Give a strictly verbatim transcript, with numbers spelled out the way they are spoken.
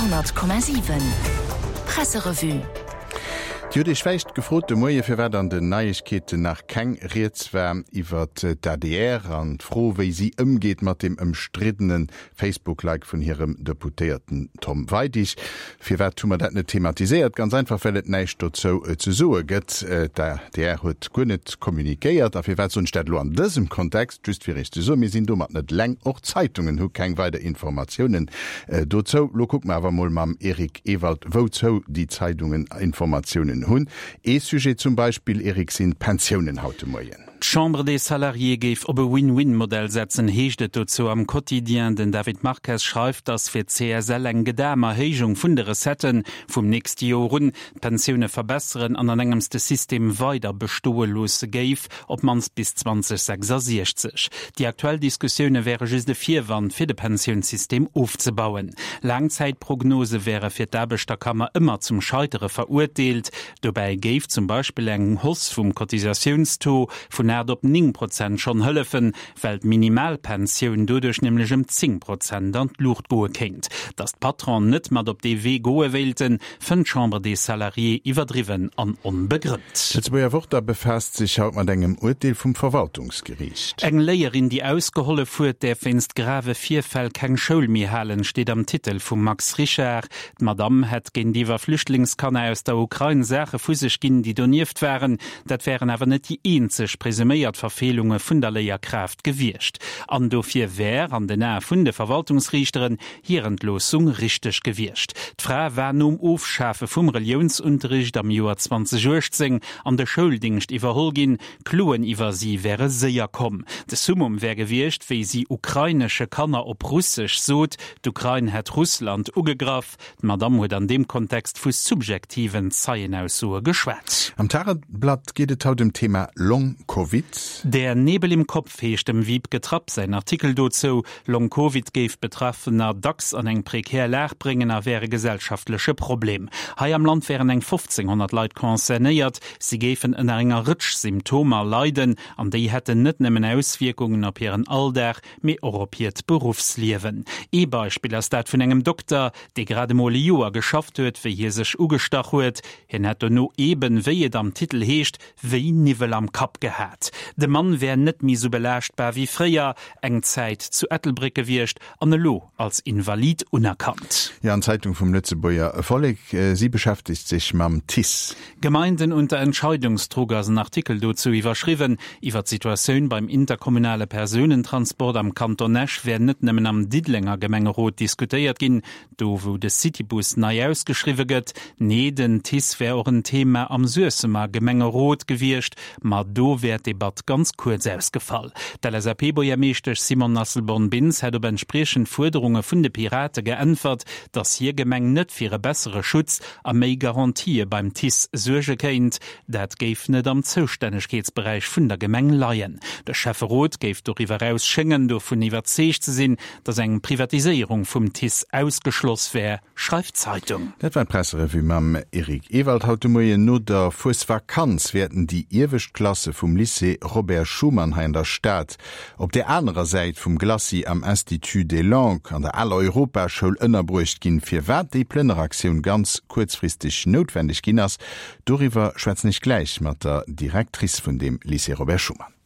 honnert Komma siwen Presserevue. Dir hutt Iech vläicht gefrot de Moie firwat an den Neiegkeeten nach keng Rieds war iwwert d'ADR an d'Fro wéi si ëmgeet mat dem ëmstriddene Facebook-Like vun hirem Deputéierten Tom Weidig. Firwat hu mer dat net thematiséiert? Ganz einfach well et näischt dozou ze soe gëtt. D'ADR huet guer net kommunikéiert. A firwat soen ech dat elo an dësem Kontext? Just fir Iech ze soen, mir sinn domat net eleng. Och d'Zeitungen hu keng weider Informatiounen dozou. Lo kucke mer awer mol mam Eric Ewald, wouzou déi Zeitungen Informatiounen hunn. Ee Sujet zum Beispill, Eric, sinn d'Pensiounen haut de Moien. D'Chambre des Salariés géif op e Win-Win-Modell setzen, heescht et dozou am Quotidien. Den David Marques schreift, datt fir d'CSL eng gedam Erhéijung vun de Recetten vum nächste Joer un d'Pensioune verbesseren an an engems de System weider bestoe loosse géif, op d'mannst bis zweitausendsechsundsechzig. Déi aktuell Diskussioune wäre just e Virwand fir de Pensiounssystem ofzebauen. Laangzäitprognose wäre fir d'Aarbechterkammer ëmmer zum Scheitere verurteelt. Dobäi géif zum Beispill eng Hausse vum Cotisatiounstaux vun aacht op néng Prozent schonn hëllefen, well d'Minimalpensioun doduerch nämlech ëm zéng Prozent an d'Luucht goe kéint. Datt d'Patronen net mat op dee Wee goe wéilten, fënnt d'Chambre des Salariés iwwerdriwwen an onbegrënnt. D'Lëtzebuerger Wort da befaasst sech haut mat engem Urteel vum Verwaltungsgeriicht. Eng Léierin, déi ausgehollef huet, däerf wéinst grave Virfäll keng Schoul méi halen, steet am Titel vum Max Richard. D'Madamm hätt géintiwwer Flüchtlingskanner aus der Ukrain Saache vu sech ginn, déi donieft waren. Dat wären awer net déi eenzeg presuméiert Verfeelunge vun der Léierkraaft gewiescht. An dofir wär, an den Ae vun de Verwaltungsriichteren, hir Entloossung richteg gewiescht. D'Fra war nom Ofschafe vum Reliounsunterricht am Joer zweitausenduechtzéng an de Schouldingscht iwwerholl ginn. Kloen iwwer si wäre séier komm. De Summum wär gewiescht, wéi si ukrainesche Kanner op Russesch sot, d'Ukrain hätt Russland ugegraff. D'Madamm huet an deem Kontext vu subjektiven Zeienaussoe geschwat. Am Tageblatt geet et haut ëm d'Thema Long Covid. Der Nebel im Kopf heescht dem Wiebke Trapp säin Artikel dozou. Long Covid géif Betraffener dacks an eng prekär Lag bréngen a wär e gesellschaftleche Problem. Hei am Land wären eng fofzénghonnert Leit concernéiert. Si géifen ënner enger Rëtsch Symptomer leiden an déi hätten net nëmmen Auswierkungen op hiren Alldag, mee och op hiert Beruffsliewen. Ee Beispill ass dat vun engem Dokter, dee grad emol e Joer geschafft huet, wéi hie sech ugestach huet. Hien hätt dono eben, wéi et am Titel heescht, wéi Niwwel am Kapp gehat. De Mann wär net méi sou belaaschtbar wéi fréier, eng Zäit zu Ettelbréck gewiescht an elo als Invalid unerkannt. Jo, an d'Zeitung vum Lëtzebuerger Vollek, si beschäftegt sech mam TICE. Gemeinden unter Entscheidungsdruck ass en Artikel dozou iwwerschriwwen. Iwwer d'Situatioun beim interkommunale Persounentransport am Kanton Esch wär net nëmmen am Diddelenger Gemengerot diskutéiert ginn, do wou de Citybus nei ausgeschriwwe gëtt. Nee, den TICE wär och en Thema am Suessemer Gemengerot gewiescht, ma do wär d'Debatt ganz kuerz ausgefall. D'LSAP-Buergermeeschtesch Simone Asselborn-Bintz hätt op entspriechend Fuerderunge vun de Pirate geäntwert, datt hir Gemeng net fir e bessere Schutz a méi Garantië beim TICE suerge kéint. Dat géif net am Zoustännegkeetsberäich vun der Gemeng leien. De Schäfferot géif doriwwer eraus schéngen dovun iwwerzeegt ze sinn, datt eng Privatiséierung vum TICE ausgeschloss wär, schreift d'Zeitung. Dat war d'Presserevue mam Eric Ewald haut de Moien. No der Fuesvakanz wäerten déi iewescht Klasse vum Lycée Robert Schuman hei an der Stad op där anerer Säit vum Glacis am Institut des Langues an der aler Europaschoul ënnerbruecht ginn. Firwat déi Plënneraktioun ganz kuerzfristeg noutwendeg ginn ass, doriwwer schwätzen ech gläich mat der Directrice vun deem Lycée Robert Schuman.